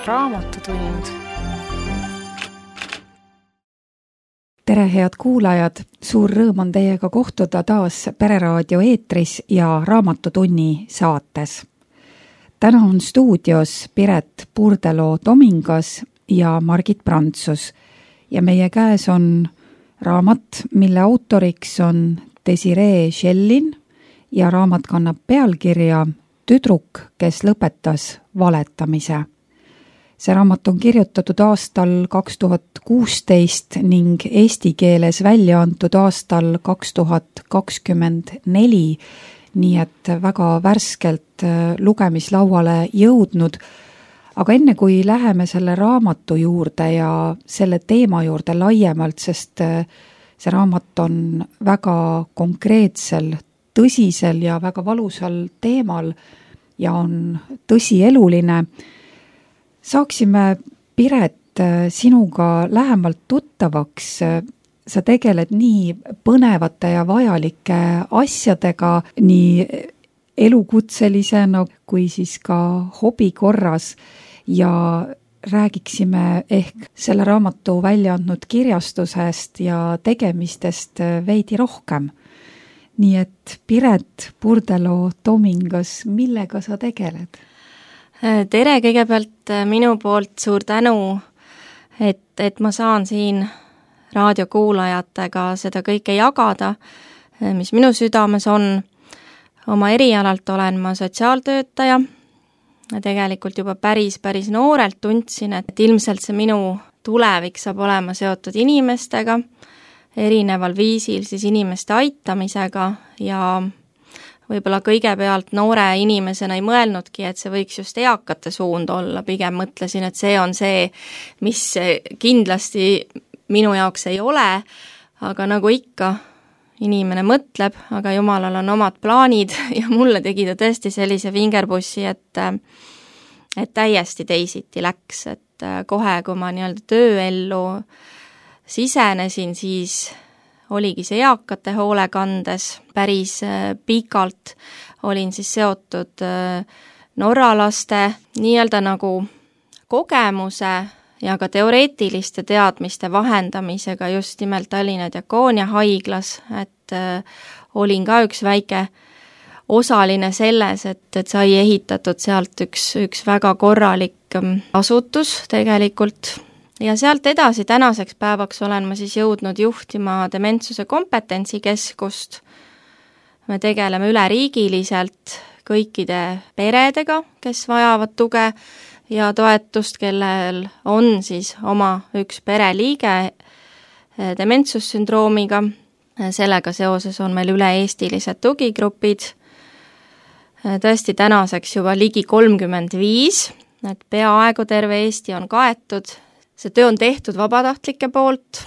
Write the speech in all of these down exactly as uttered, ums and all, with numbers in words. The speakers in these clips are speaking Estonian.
Raamatutund. Tere, head kuulajad! Suur rõõm on teiega kohtuda taas Pereraadio eetris ja Raamatutunni saates. Täna on stuudios Piret Purdelo-Tomingas ja Margit Prantsus ja meie käes on raamat, mille autoriks on Desiree Schellin ja raamat kannab pealkirja Tüdruk, kes lõpetas valetamise. See raamat on kirjutatud aastal kaks tuhat kuusteist ning eesti keeles välja antud aastal kaks tuhat kakskümmend neli, nii et väga värskelt lugemislauale jõudnud. Aga enne kui läheme selle raamatu juurde ja selle teema juurde laiemalt, sest see raamat on väga konkreetsel, tõsisel ja väga valusal teemal ja on tõsieluline, saaksime, Piret, sinuga lähemalt tuttavaks. Sa tegeled nii põnevate ja vajalike asjadega, nii elukutselisena kui siis ka hobi korras ja räägiksime ehk selle raamatu välja andnud kirjastusest ja tegemistest veidi rohkem. Nii et Piret Purdelo-Tomingas, millega sa tegeled? Tere, kõigepealt minu poolt suur tänu, et, et ma saan siin raadiokuulajatega seda kõike jagada, mis minu südames on. Oma erialalt olen ma sotsiaaltöötaja. Tegelikult juba päris, päris noorelt tundsin, et ilmselt see minu tulevik saab olema seotud inimestega, erineval viisil siis inimeste aitamisega ja võib-olla kõigepealt noore inimesena ei mõelnudki, et see võiks just eakate suund olla, pigem mõtlesin, et see on see, mis kindlasti minu jaoks ei ole, aga nagu ikka, inimene mõtleb, aga jumalal on omad plaanid ja mulle tegi ta tõesti sellise vingerbussi, et, et täiesti teisiti läks, et kohe, kui ma nii-öelda tööellu sisenesin, siis oligi see eakate hoolekandes, päris pikalt olin siis seotud norralaste nii-öelda nagu kogemuse ja ka teoreetiliste teadmiste vahendamisega just nimelt Tallinna Diakoonia haiglas, et olin ka üks väike osaline selles, et, et sai ehitatud sealt üks, üks väga korralik asutus tegelikult. Ja sealt edasi tänaseks päevaks olen ma siis jõudnud juhtima dementsuse kompetentsikeskust. Me tegeleme üleriigiliselt kõikide peredega, kes vajavad tuge ja toetust, kellel on siis oma üks pereliige dementsussündroomiga. Sellega seoses on meil üle-eestilised tugigrupid. Tõesti tänaseks juba ligi kolmkümmend viis, et peaaegu terve Eesti on kaetud. See töö on tehtud vabatahtlike poolt.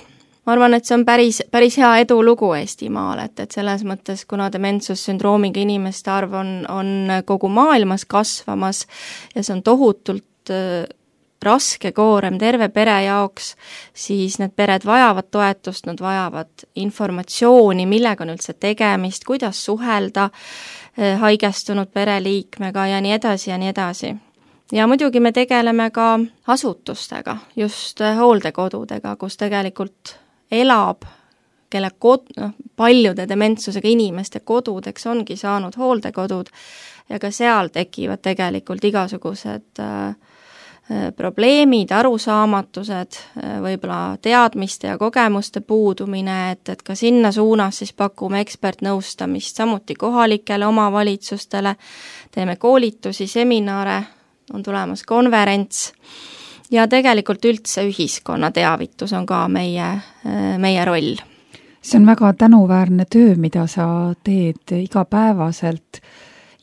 Ma arvan, et see on päris, päris hea edulugu Eestimaal, et, et selles mõttes, kuna dementsussündroomiga inimeste arv on, on kogu maailmas kasvamas ja see on tohutult äh, raske koorem terve pere jaoks, siis need pered vajavad toetust, nad vajavad informatsiooni, millega on üldse tegemist, kuidas suhelda äh, haigestunud pereliikmega ja nii edasi ja nii edasi. Ja muidugi me tegeleme ka asutustega, just hooldekodudega, kus tegelikult elab, kelle kod, no, paljude dementsusega inimeste kodudeks ongi saanud hooldekodud ja ka seal tekivad tegelikult igasugused äh, probleemid, arusaamatused, võib-olla teadmiste ja kogemuste puudumine, et, et ka sinna suunas siis pakume ekspertnõustamist, samuti kohalikele omavalitsustele, teeme koolitusi, seminare, on tulemas konverents ja tegelikult üldse ühiskonna teavitus on ka meie, meie roll. See on väga tänuväärne töö, mida sa teed igapäevaselt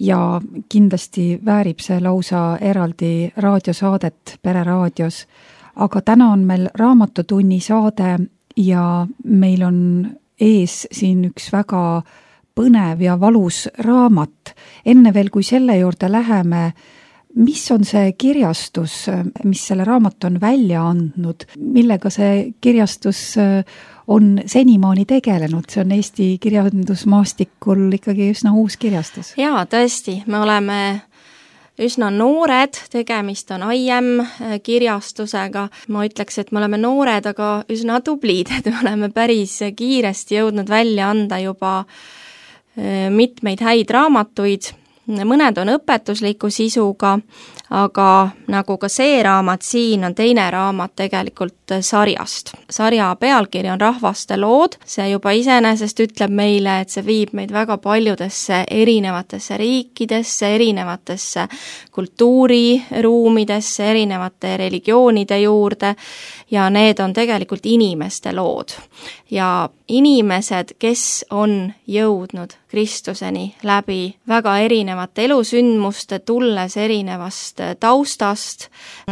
ja kindlasti väärib see lausa eraldi raadiosaadet Pereraadios. Aga täna on meil Raamatutunni saade ja meil on ees siin üks väga põnev ja valus raamat. Enne veel, kui selle juurde läheme, mis on see kirjastus, mis selle raamat on välja andnud, millega see kirjastus on senimaani tegelenud? See on Eesti kirjandusmaastikul ikkagi üsna uus kirjastus. Jaa, tõesti, me oleme üsna noored, tegemist on I M kirjastusega. Ma ütleks, et me oleme noored, aga üsna tublid, et me oleme päris kiiresti jõudnud välja anda juba mitmeid häid raamatuid. Mõned on õpetusliku sisuga, aga nagu ka see raamat siin on teine raamat tegelikult sarjast. Sarja pealkiri on Rahvaste lood, see juba iseenesest ütleb meile, et see viib meid väga paljudesse erinevatesse riikidesse, erinevatesse kultuuriruumidesse, erinevate religioonide juurde ja need on tegelikult inimeste lood. Ja inimesed, kes on jõudnud Kristuseni läbi väga erinevate elusündmuste, tulles erinevast taustast.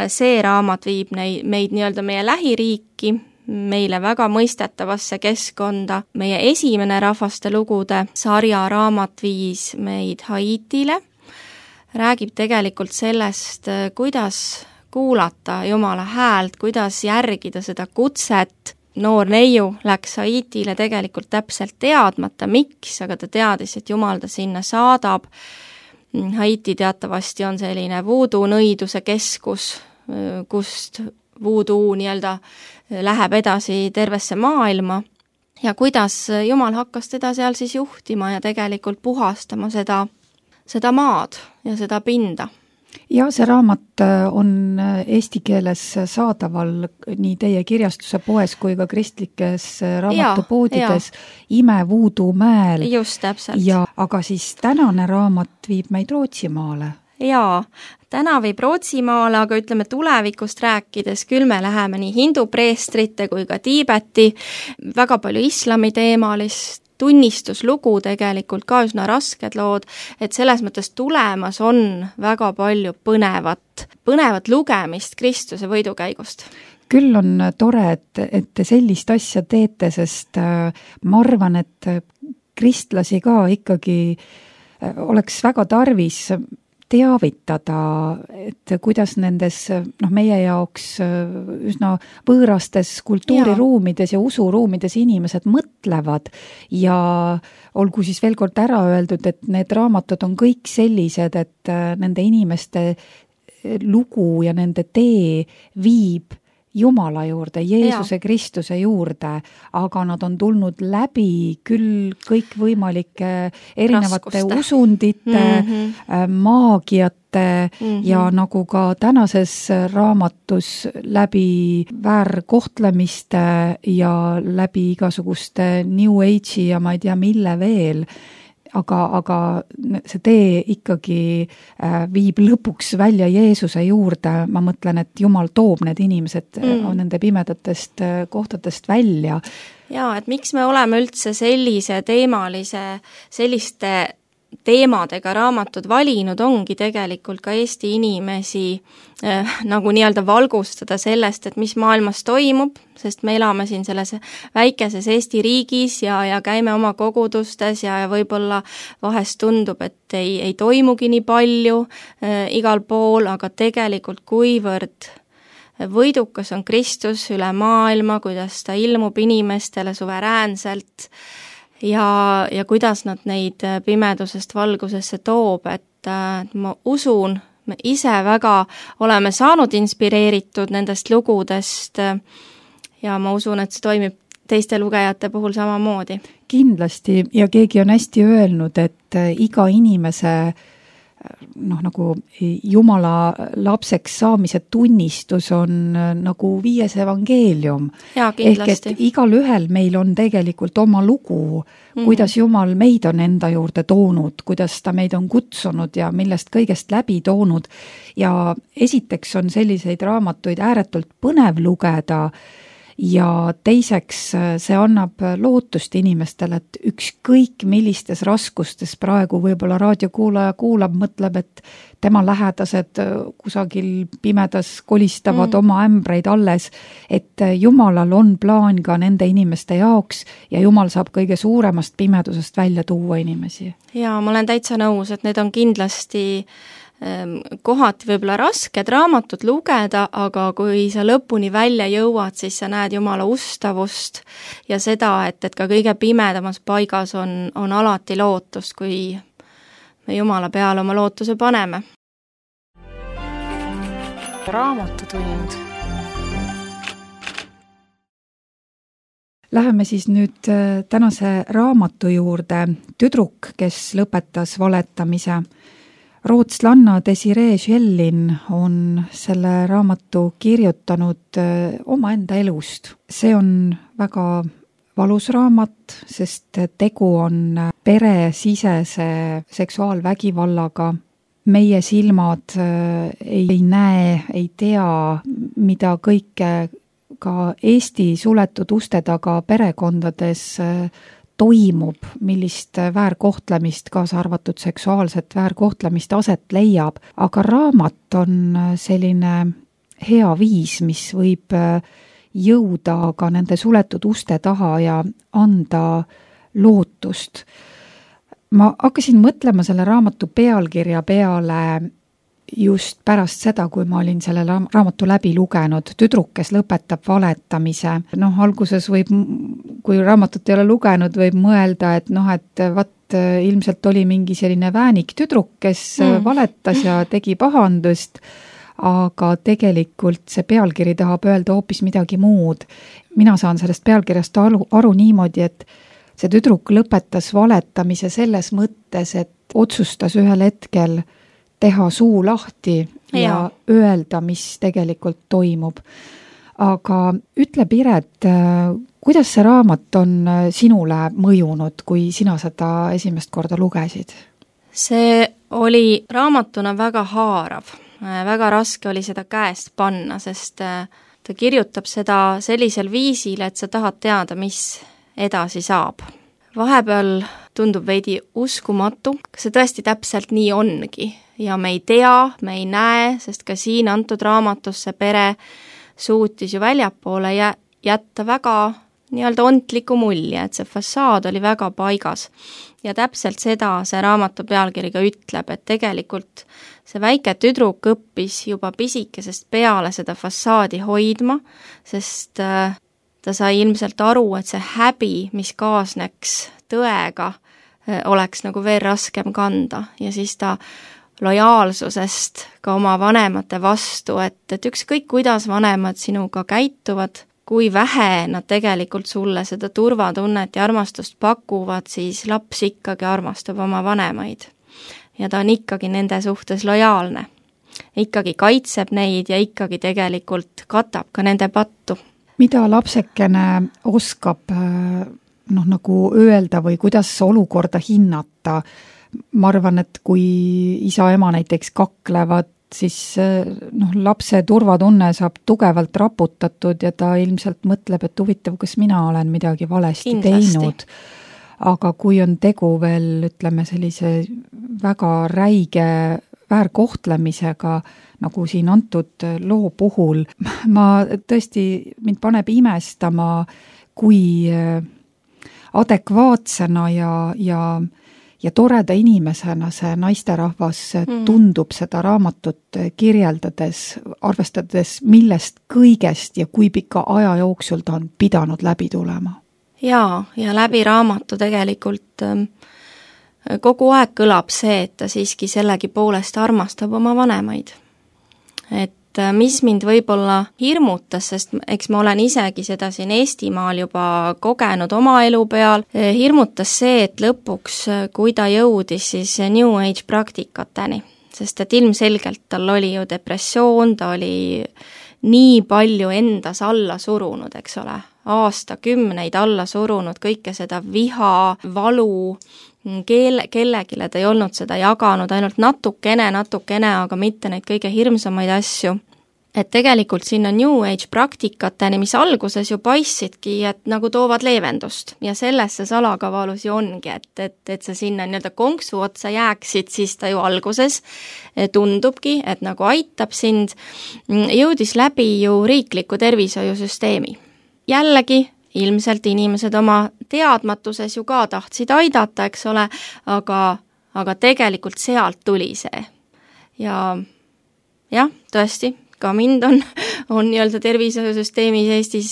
See raamat viib neid, meid nii-öelda meie lähiriiki, meile väga mõistetavasse keskkonda. Meie esimene rahvaste lugude sarja raamat viis meid Haitile. Räägib tegelikult sellest, kuidas kuulata Jumala häält, kuidas järgida seda kutset. Noor neiu läks Haitile tegelikult täpselt teadmata, miks, aga ta teadis, et Jumal ta sinna saadab. Haiti teatavasti on selline voodoo nõiduse keskus, kust voodoo nii-öelda läheb edasi tervesse maailma ja kuidas Jumal hakkas teda seal siis juhtima ja tegelikult puhastama seda, seda maad ja seda pinda. Ja see raamat on eesti keeles saadaval nii teie kirjastuse poes kui ka kristlikes raamatupoodides Ime Voodoo mäel. Just täpselt. Ja, aga siis tänane raamat viib meid Rootsimaale. Jaa, täna viib Rootsimaale, aga ütleme tulevikust rääkides, küll me läheme nii hindu preestrite kui ka Tiibeti, väga palju islami teemalist, tunnistuslugu tegelikult ka üsna rasked lood, et selles mõttes tulemas on väga palju põnevat, põnevat lugemist Kristuse võidukäigust. Küll on tore, et, et te sellist asja teete, sest ma arvan, et kristlasi ka ikkagi oleks väga tarvis teavitada, et kuidas nendes noh, meie jaoks üsna võõrastes kultuuriruumides ja usuruumides inimesed mõtlevad ja olgu siis veel kord ära öeldud, et need raamatud on kõik sellised, et nende inimeste lugu ja nende tee viib Jumala juurde, Jeesuse ja. Kristuse juurde, aga nad on tulnud läbi küll kõikvõimalike erinevate Raskuste. usundite, mm-hmm. maagiate mm-hmm. ja nagu ka tänases raamatus läbi väärkohtlemiste ja läbi igasuguste New Age'i ja ma ei tea mille veel, aga, aga see tee ikkagi viib lõpuks välja Jeesuse juurde. Ma mõtlen, et Jumal toob need inimesed mm. nende pimedatest kohtadest välja. Jaa, et miks me oleme üldse sellise teemalise, selliste teemadega raamatud valinud, ongi tegelikult ka Eesti inimesi äh, nagu nii-öelda valgustada sellest, et mis maailmas toimub, sest me elame siin selles väikeses Eesti riigis ja, ja käime oma kogudustes ja, ja võib-olla vahest tundub, et ei, ei toimugi nii palju äh, igal pool, aga tegelikult kuivõrd võidukas on Kristus üle maailma, kuidas ta ilmub inimestele suveräänselt ja, ja kuidas nad neid pimedusest valgusesse toob, et äh, ma usun, me ise väga oleme saanud inspireeritud nendest lugudest ja ma usun, et see toimib teiste lugejate puhul samamoodi. Kindlasti ja keegi on hästi öelnud, et iga inimese noh, nagu Jumala lapseks saamise tunnistus on nagu viies evangeelium. Jaa, kindlasti. Ehk et igal ühel meil on tegelikult oma lugu, mm. kuidas Jumal meid on enda juurde toonud, kuidas ta meid on kutsunud ja millest kõigest läbi toonud. Ja esiteks on selliseid raamatuid ääretult põnev lugeda ja teiseks see annab lootust inimestele, et ükskõik millistes raskustes praegu võib-olla raadiokuulaja kuulab, mõtleb, et tema lähedased kusagil pimedas kolistavad mm. oma ämbreid alles, et Jumalal on plaan ka nende inimeste jaoks ja Jumal saab kõige suuremast pimedusest välja tuua inimesi. Jaa, ma olen täitsa nõus, et need on kindlasti kohati võib-olla rasked raamatud lugeda, aga kui sa lõpuni välja jõuad, siis sa näed Jumala ustavust ja seda, et, et ka kõige pimedamas paigas on, on alati lootust, kui me Jumala peale oma lootuse paneme. raamatutund. Läheme siis nüüd tänase raamatu juurde. Tüdruk, kes lõpetas valetamise. Rootslanna Desiree Schellin on selle raamatu kirjutanud omaenda elust. See on väga valus raamat, sest tegu on peresisese seksuaalvägivallaga. Meie silmad ei näe, ei tea, mida kõike ka Eesti suletud uste taga perekondades toimub, millist väärkohtlemist, kaasa arvatud seksuaalset väärkohtlemist aset leiab, aga raamat on selline hea viis, mis võib jõuda ka nende suletud uste taha ja anda lootust. Ma hakkasin mõtlema selle raamatu pealkirja peale just pärast seda, kui ma olin selle raamatu läbi lugenud, Tüdruk, kes lõpetab valetamise. Noh, alguses võib, kui raamatut ei ole lugenud, võib mõelda, et noh, et vat ilmselt oli mingi selline väänik tüdruk, kes mm. valetas ja tegi pahandust, aga tegelikult see pealkiri tahab öelda hoopis midagi muud. Mina saan sellest pealkirjast aru, aru niimoodi, et see tüdruk lõpetas valetamise selles mõttes, et otsustas ühel hetkel teha suu lahti ja, ja öelda, mis tegelikult toimub. Aga ütle, Piret, kuidas see raamat on sinule mõjunud, kui sina seda esimest korda lugesid? See oli raamatuna väga haarav. Väga raske oli seda käest panna, sest ta kirjutab seda sellisel viisil, et sa tahad teada, mis edasi saab. Vahepeal tundub veidi uskumatu, kas see tõesti täpselt nii ongi. Ja me ei tea, me ei näe, sest ka siin antud raamatus see pere suutis ju väljapoole jätta väga nii-öelda ontliku mulje, et see fassaad oli väga paigas. Ja täpselt seda see raamatu pealkiri ka ütleb, et tegelikult see väike tüdruk õppis juba pisikesest peale seda fassaadi hoidma, sest ta sai ilmselt aru, et see häbi, mis kaasneks tõega, oleks nagu veel raskem kanda ja siis ta lojaalsusest ka oma vanemate vastu, et, et ükskõik kuidas vanemad sinuga käituvad, kui vähe nad tegelikult sulle seda turvatunnet ja armastust pakuvad, siis laps ikkagi armastab oma vanemaid. Ja ta on ikkagi nende suhtes lojaalne. Ikkagi kaitseb neid ja ikkagi tegelikult katab ka nende pattu. Mida lapsekene oskab noh, nagu öelda või kuidas olukorda hinnata? Ma arvan, et kui isa-ema näiteks kaklevad, siis noh, lapse turvatunne saab tugevalt raputatud ja ta ilmselt mõtleb, et huvitav, kas mina olen midagi valesti Kindlasti. teinud. Aga kui on tegu veel, ütleme, sellise väga räige väärkohtlemisega, nagu siin antud loo puhul, ma tõesti, mind paneb imestama, kui adekvaatsena ja, ja ja toreda inimesena see naisterahvas tundub seda raamatut kirjeldades, arvestades millest kõigest ja kui pika aja jooksul ta on pidanud läbi tulema. Jaa, ja läbi raamatu tegelikult kogu aeg kõlab see, et ta siiski sellegi poolest armastab oma vanemaid. Et mis mind võib-olla hirmutas, sest eks ma olen isegi seda siin Eestimaal juba kogenud oma elu peal, hirmutas see, et lõpuks, kui ta jõudis siis New Age praktikateni, sest et ilmselgelt tal oli ju depressioon, ta oli nii palju endas alla surunud, eks ole, aastakümneid alla surunud, kõike seda viha, valu, Kelle, kellegile ta ei olnud seda jaganud, ainult natukene, natukene, aga mitte neid kõige hirmsamaid asju. Et tegelikult sinna New Age praktikateni, mis alguses ju paistsidki, et nagu toovad leevendust. Ja selles see salakavalus ju ongi, et, et, et sa sinna nii-öelda konksu otsa jääksid, siis ta ju alguses tundubki, et nagu aitab sind. Jõudis läbi ju riikliku tervishoiusüsteemi. Jällegi, ilmselt inimesed oma teadmatuses ju ka tahtsid aidata, eks ole, aga, aga tegelikult sealt tuli see. Ja jah, tõesti, ka mind on, on nii-öelda tervishoiusüsteemis Eestis,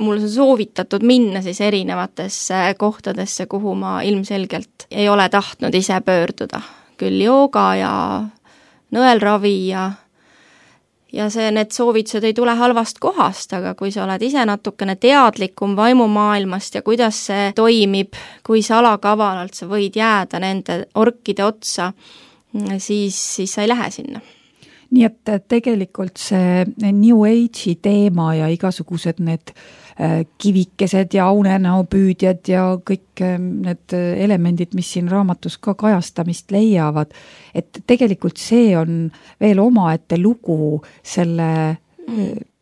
mul on soovitatud minna siis erinevatesse kohtadesse, kuhu ma ilmselgelt ei ole tahtnud ise pöörduda. Küll jooga ja nõelravi ja ja see, need soovitused ei tule halvast kohast, aga kui sa oled ise natukene teadlikum vaimumaailmast ja kuidas see toimib, kui salakavalalt sa võid jääda nende orkide otsa, siis, siis sa ei lähe sinna. Nii et tegelikult see New Age'i teema ja igasugused need kivikesed ja unenäopüüdjad ja kõik need elemendid, mis siin raamatus ka kajastamist leiavad, et tegelikult see on veel omaette lugu selle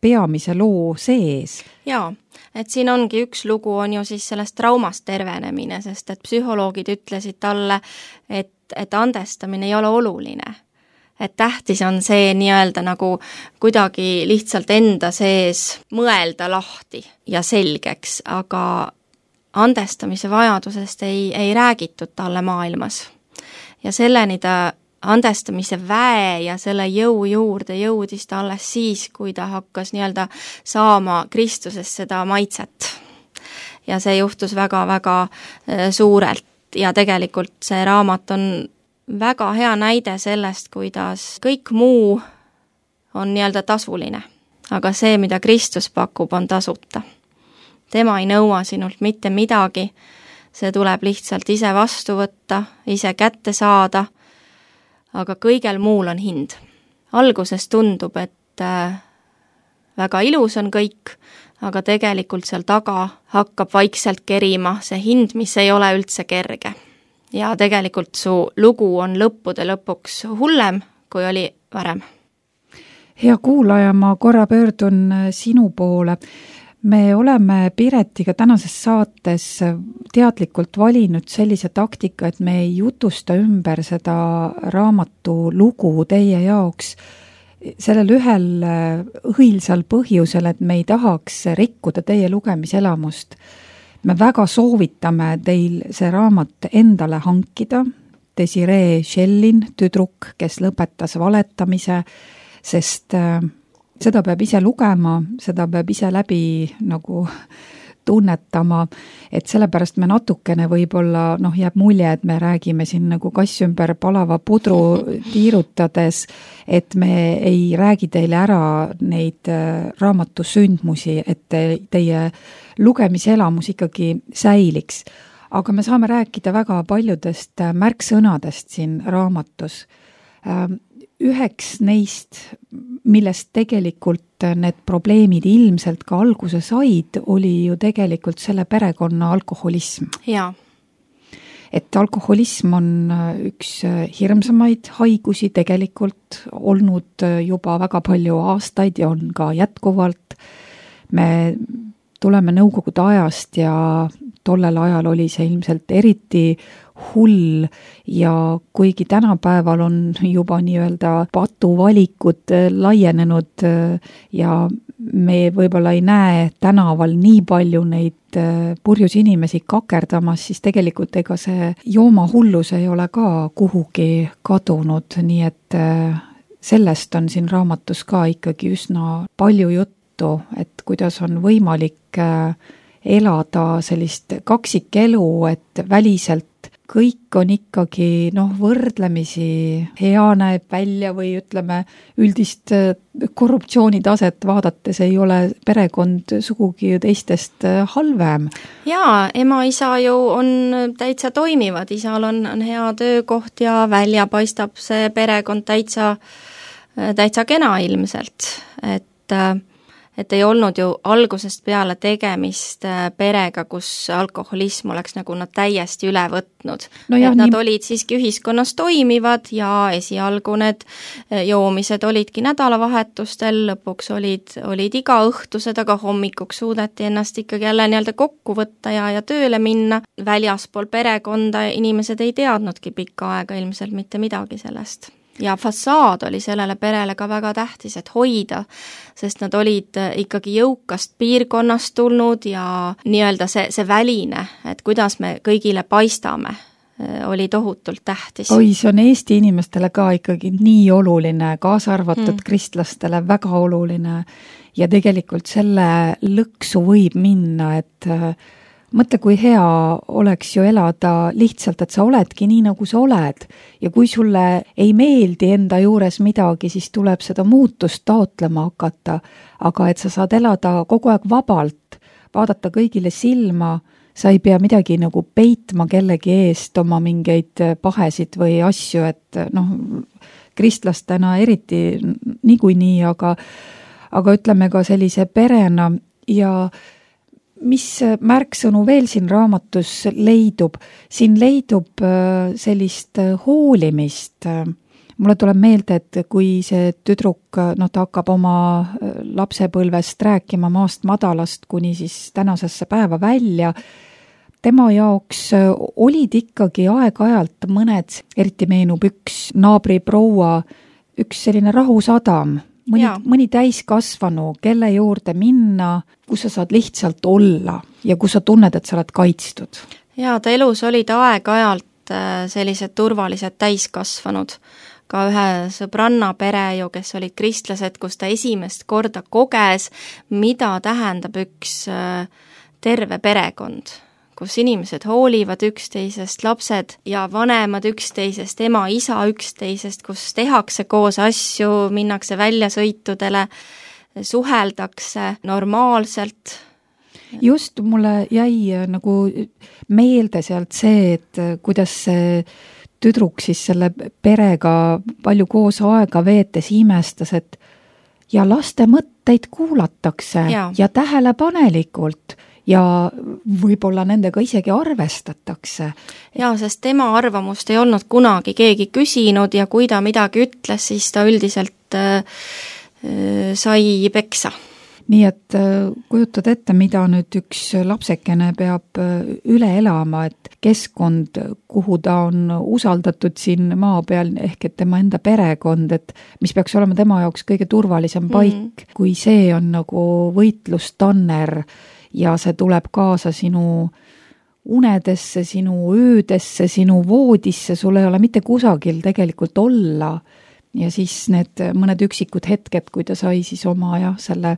peamise loo sees. Jaa, et siin ongi üks lugu, on ju siis sellest traumast tervenemine, sest et psühholoogid ütlesid talle, et, et andestamine ei ole oluline. Et tähtis on see nii-öelda nagu kuidagi lihtsalt enda sees mõelda lahti ja selgeks, aga andestamise vajadusest ei, ei räägitud talle maailmas. Ja selleni ta andestamise väe ja selle jõu juurde jõudis ta alles siis, kui ta hakkas nii-öelda saama Kristuses seda maitset. Ja see juhtus väga-väga suurelt ja tegelikult see raamat on väga hea näide sellest, kuidas kõik muu on nii-öelda tasuline. Aga see, mida Kristus pakub, on tasuta. Tema ei nõua sinult mitte midagi, see tuleb lihtsalt ise vastu võtta, ise kätte saada, aga kõigel muul on hind. Alguses tundub, et väga ilus on kõik, aga tegelikult seal taga hakkab vaikselt kerima see hind, mis ei ole üldse kerge. Ja tegelikult su lugu on lõppude lõpuks hullem, kui oli varem. Hea kuulaja, ma korra pöördun sinu poole. Me oleme Piretiga tänases saates teadlikult valinud sellise taktika, et me ei jutusta ümber seda raamatu lugu teie jaoks sellel ühel õilsal põhjusel, et me ei tahaks rikkuda teie lugemiselamust. Me väga soovitame teil see raamat endale hankida, Desiree Shellin, tüdruk, kes lõpetas valetamise, sest seda peab ise lugema, seda peab ise läbi nagu tunnetama, et sellepärast me natukene võib-olla, noh, jääb mulje, et me räägime siin nagu kass ümber palava pudru tiirutades, et me ei räägi teile ära neid raamatu sündmusi, et teie lugemiselamus ikkagi säiliks. Aga me saame rääkida väga paljudest märksõnadest siin raamatus. Üheks neist, millest tegelikult need probleemid ilmselt ka alguse said, oli ju tegelikult selle perekonna alkoholism. Jaa. Et alkoholism on üks hirmsamaid haigusi tegelikult olnud juba väga palju aastaid ja on ka jätkuvalt. Me tuleme Nõukogude ajast ja tollel ajal oli see ilmselt eriti hull ja kuigi tänapäeval on juba nii-öelda patuvalikud laienenud ja me võib-olla ei näe tänaval nii palju neid purjus inimesi kakerdamas, siis tegelikult ega see joomahullus ei ole ka kuhugi kadunud, nii et sellest on siin raamatus ka ikkagi üsna palju juttu, et kuidas on võimalik elada sellist kaksikelu, et väliselt kõik on ikkagi noh, võrdlemisi hea näeb välja või ütleme üldist korruptsioonitaset vaadates ei ole perekond sugugi teistest halvem. Jaa, ema, isa ju on täitsa toimivad, isal on, on hea töökoht ja välja paistab see perekond täitsa, täitsa kena ilmselt, et et ei olnud ju algusest peale tegemist perega, kus alkoholism oleks nagu nad täiesti üle võtnud. No jah, et nad nii... olid siiski ühiskonnas toimivad ja esialgu need joomised olidki nädalavahetustel, lõpuks olid, olid iga õhtused, aga hommikuks suudeti ennast ikkagi jälle nii-öelda kokku võtta ja, ja tööle minna. Väljaspool perekonda inimesed ei teadnudki pikka aega ilmselt mitte midagi sellest. Ja fassaad oli sellele perele ka väga tähtis, et hoida, sest nad olid ikkagi jõukast piirkonnast tulnud ja nii-öelda see, see väline, et kuidas me kõigile paistame, oli tohutult tähtis. Oi, see on Eesti inimestele ka ikkagi nii oluline, kaasa arvatud mm. kristlastele väga oluline ja tegelikult selle lõksu võib minna, et mõtle, kui hea oleks ju elada lihtsalt, et sa oledki nii, nagu sa oled ja kui sulle ei meeldi enda juures midagi, siis tuleb seda muutust taotlema hakata, aga et sa saad elada kogu aeg vabalt, vaadata kõigile silma, sa ei pea midagi nagu peitma kellegi eest oma mingeid pahesid või asju, et noh, kristlastena eriti niikuinii, aga, aga ütleme ka sellise perena ja mis märksõnu veel siin raamatus leidub? Siin leidub sellist hoolimist. Mulle tuleb meelde, et kui see tüdruk, no ta hakkab oma lapsepõlvest rääkima maast madalast kuni siis tänasesse päeva välja, tema jaoks olid ikkagi aeg-ajalt mõned, eriti meenub üks naabriproua, üks selline rahusadam, mõni, mõni täiskasvanu, kelle juurde minna, kus sa saad lihtsalt olla ja kus sa tunned, et sa oled kaitstud. Jaa, ta elus olid aeg-ajalt sellised turvalised täiskasvanud. Ka ühe sõbranna pere ju, kes olid kristlased, kus ta esimest korda koges, mida tähendab üks terve perekond, kus inimesed hoolivad üksteisest, lapsed ja vanemad üksteisest, ema, isa üksteisest, kus tehakse koos asju, minnakse väljasõitudele, suheldakse normaalselt. Just mulle jäi nagu meelde sealt see, et kuidas see tüdruk siis selle perega palju koos aega veetes imestas, et ja laste mõtteid kuulatakse ja, ja tähelepanelikult ja võib-olla nendega isegi arvestatakse. Jaa, sest tema arvamust ei olnud kunagi keegi küsinud ja kui ta midagi ütles, siis ta üldiselt äh, sai peksa. Nii et kujutad ette, mida nüüd üks lapsekene peab üle elama, et keskkond, kuhu ta on usaldatud siin maa peal, ehk et tema enda perekond, et mis peaks olema tema jaoks kõige turvalisem paik, mm. kui see on nagu võitlustanner ja see tuleb kaasa sinu unedesse, sinu öödesse, sinu voodisse, sul ei ole mitte kusagil tegelikult olla. Ja siis need mõned üksikud hetked, kui ta sai siis oma ja selle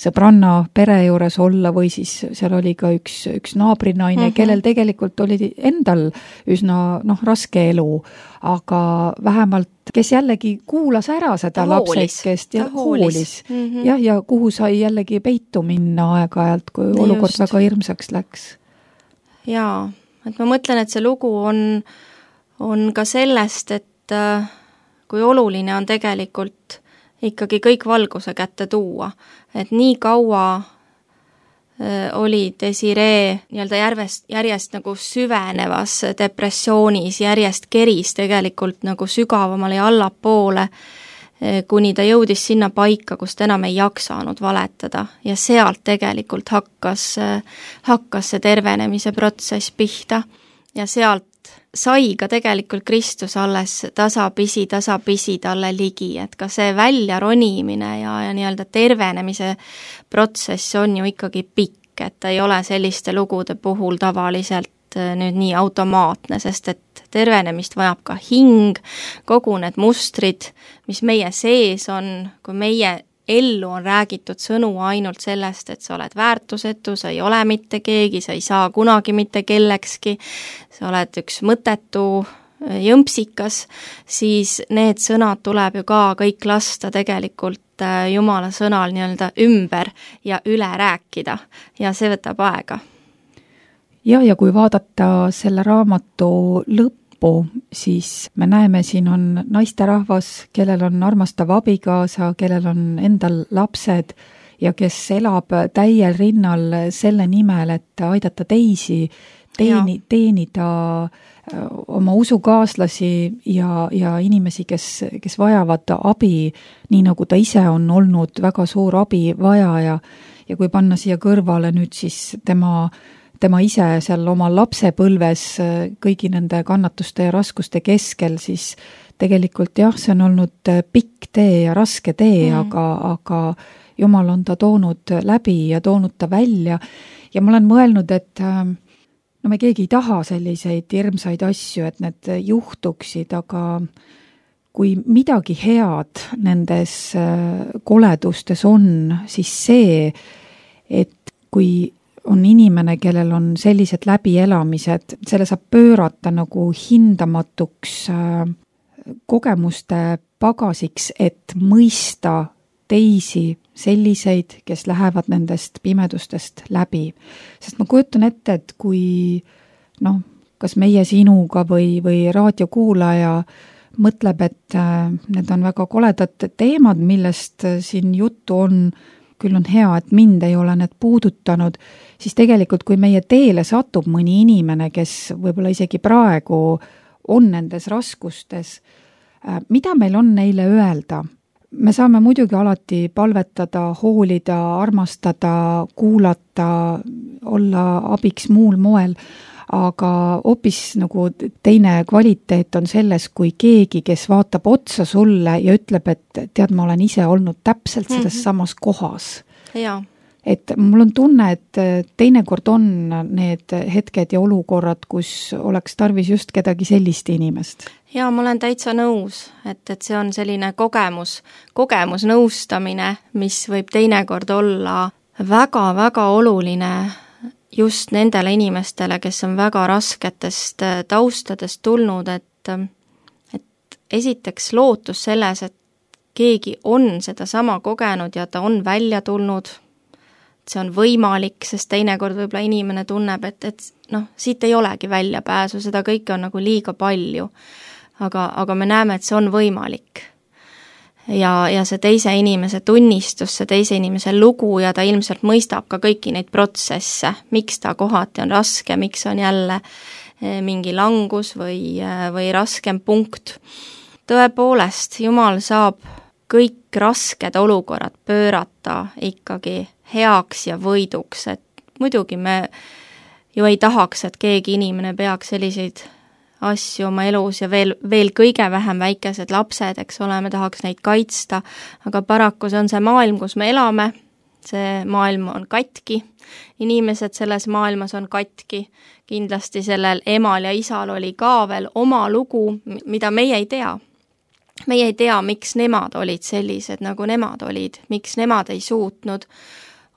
sõbranna pere juures olla või siis seal oli ka üks, üks naabrinaine, mm-hmm. kellel tegelikult oli endal üsna noh, raske elu, aga vähemalt kes jällegi kuulas ära seda lapsekest ja hoolis, hoolis. Mm-hmm. Ja, ja kuhu sai jällegi peitu minna aeg-ajalt, kui Just. olukord väga hirmsaks läks. Jaa, et ma mõtlen, et see lugu on, on ka sellest, et kui oluline on tegelikult ikkagi kõik valguse kätte tuua. Et nii kaua oli Desiree nii-öelda järjest, järjest nagu süvenevas depressioonis, järjest keris tegelikult nagu sügavamale ja allapoole, kuni ta jõudis sinna paika, kus ta enam ei jaksanud valetada. Ja sealt tegelikult hakkas, hakkas see tervenemise protsess pihta ja sealt sai ka tegelikult Kristus alles tasapisi, tasapisi talle ligi, et ka see välja ronimine ja, ja nii-öelda tervenemise protsess on ju ikkagi pikk, et ei ole selliste lugude puhul tavaliselt nüüd nii automaatne, sest et tervenemist vajab ka hing, kogu need mustrid, mis meie sees on, kui meie ellu on räägitud sõnu ainult sellest, et sa oled väärtusetu, sa ei ole mitte keegi, sa ei saa kunagi mitte kellekski, sa oled üks mõttetu jõmpsikas, siis need sõnad tuleb ju ka kõik lasta tegelikult Jumala sõnal nii-öelda ümber ja üle rääkida ja see võtab aega. Ja, ja kui vaadata selle raamatu lõppu, siis me näeme, siin on naisterahvas, kellel on armastav abigaasa, kellel on endal lapsed ja kes elab täiel rinnal selle nimel, et aidata teisi, teeni, teenida oma usukaaslasi ja, ja inimesi, kes, kes vajavad abi, nii nagu ta ise on olnud väga suur abivajaja ja kui panna siia kõrvale nüüd siis tema tema ise seal oma lapsepõlves kõigi nende kannatuste ja raskuste keskel, siis tegelikult jah, see on olnud pikk tee ja raske tee, mm. aga, aga Jumal on ta toonud läbi ja toonud ta välja ja ma olen mõelnud, et no me keegi ei taha selliseid hirmsaid asju, et need juhtuksid, aga kui midagi head nendes koledustes on, siis see, et kui on inimene, kellel on sellised läbielamised, selle saab pöörata nagu hindamatuks kogemuste pagasiks, et mõista teisi selliseid, kes lähevad nendest pimedustest läbi. Sest ma kujutan ette, et kui noh, kas meie sinuga või, või raadiokuulaja mõtleb, et need on väga koledad teemad, millest siin juttu on, küll on hea, et mind ei ole need puudutanud, siis tegelikult, kui meie teele satub mõni inimene, kes võib-olla isegi praegu on nendes raskustes, mida meil on neile öelda? Me saame muidugi alati palvetada, hoolida, armastada, kuulata, olla abiks muul moel, aga hoopis nagu teine kvaliteet on selles, kui keegi, kes vaatab otsa sulle ja ütleb, et tead, ma olen ise olnud täpselt selles mm-hmm. samas kohas. Jaa. Et mul on tunne, et teinekord on need hetked ja olukorrad, kus oleks tarvis just kedagi sellist inimest. Jaa, ma olen täitsa nõus, et, et see on selline kogemus, kogemusnõustamine, mis võib teinekord olla väga-väga oluline just nendele inimestele, kes on väga rasketest taustadest tulnud, et, et esiteks lootus selles, et keegi on seda sama kogenud ja ta on välja tulnud, see on võimalik, sest teinekord võib-olla inimene tunneb, et, et noh, siit ei olegi väljapääsu, seda kõike on nagu liiga palju. Aga, aga me näeme, et see on võimalik. Ja, ja see teise inimese tunnistus, see teise inimese lugu ja ta ilmselt mõistab ka kõiki neid protsesse, miks ta kohati on raske, miks on jälle mingi langus või, või raskem punkt. Tõepoolest, Jumal saab kõik rasked olukorrad pöörata ikkagi heaks ja võiduks, et muidugi me ju ei tahaks, et keegi inimene peaks selliseid asju oma elus ja veel, veel kõige vähem väikesed lapsed, eks ole, me tahaks neid kaitsta, aga paraku see on see maailm, kus me elame, see maailm on katki, inimesed selles maailmas on katki, kindlasti sellel emal ja isal oli ka veel oma lugu, mida meie ei tea. Meie ei tea, miks nemad olid sellised, nagu nemad olid, miks nemad ei suutnud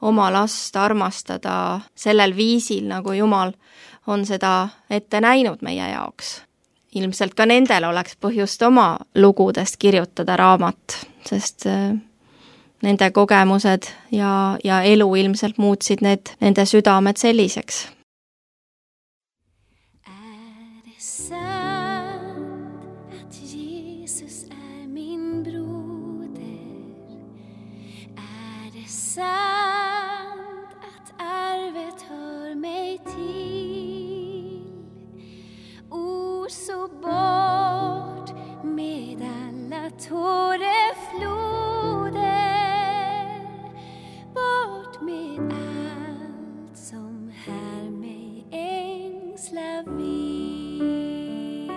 oma last armastada sellel viisil, nagu Jumal on seda ette näinud meie jaoks. Ilmselt ka nendel oleks põhjust oma lugudest kirjutada raamat, sest nende kogemused ja, ja elu ilmselt muutsid need, nende südamed selliseks. Sant att arvet hör mig till. Ord så bort med alla tårefloder, bort med allt som här mig ängsla vill.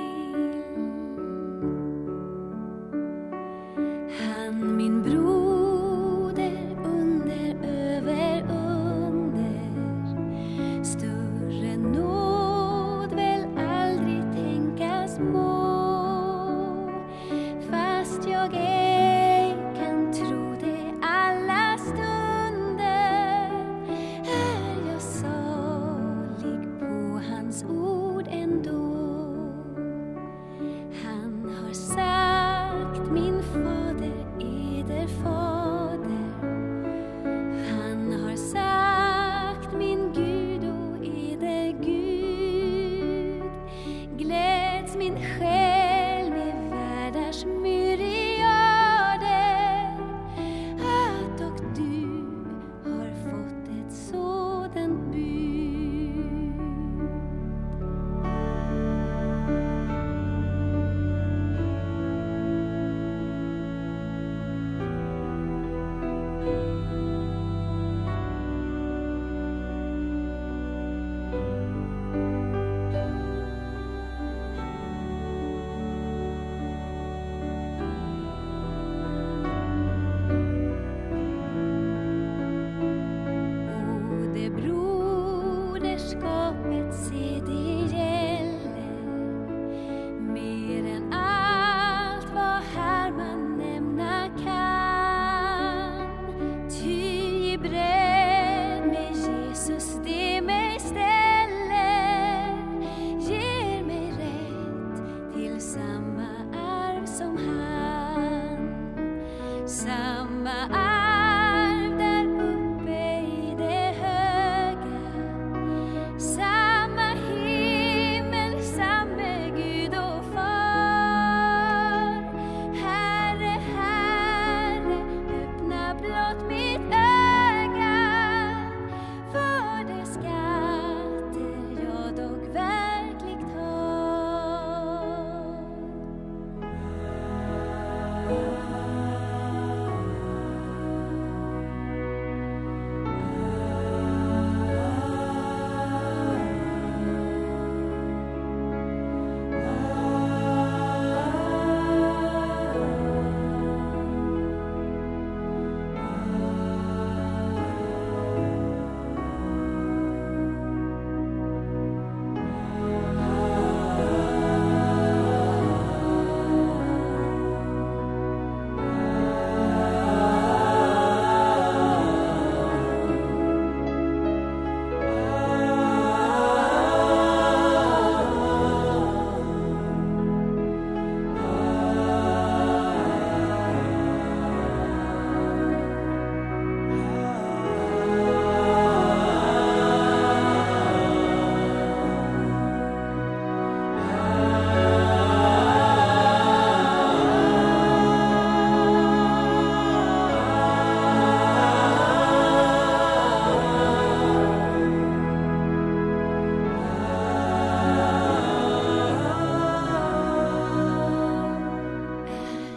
Han min bror bredd med Jesus. Jesus, det mig ställer ger mig rätt till samma arv som han. Samma arv där uppe i det höga. Samma himmel, samme Gud och far. Herre, Herre, öppna blott mitt öga för de skatter jag dock verkligt har.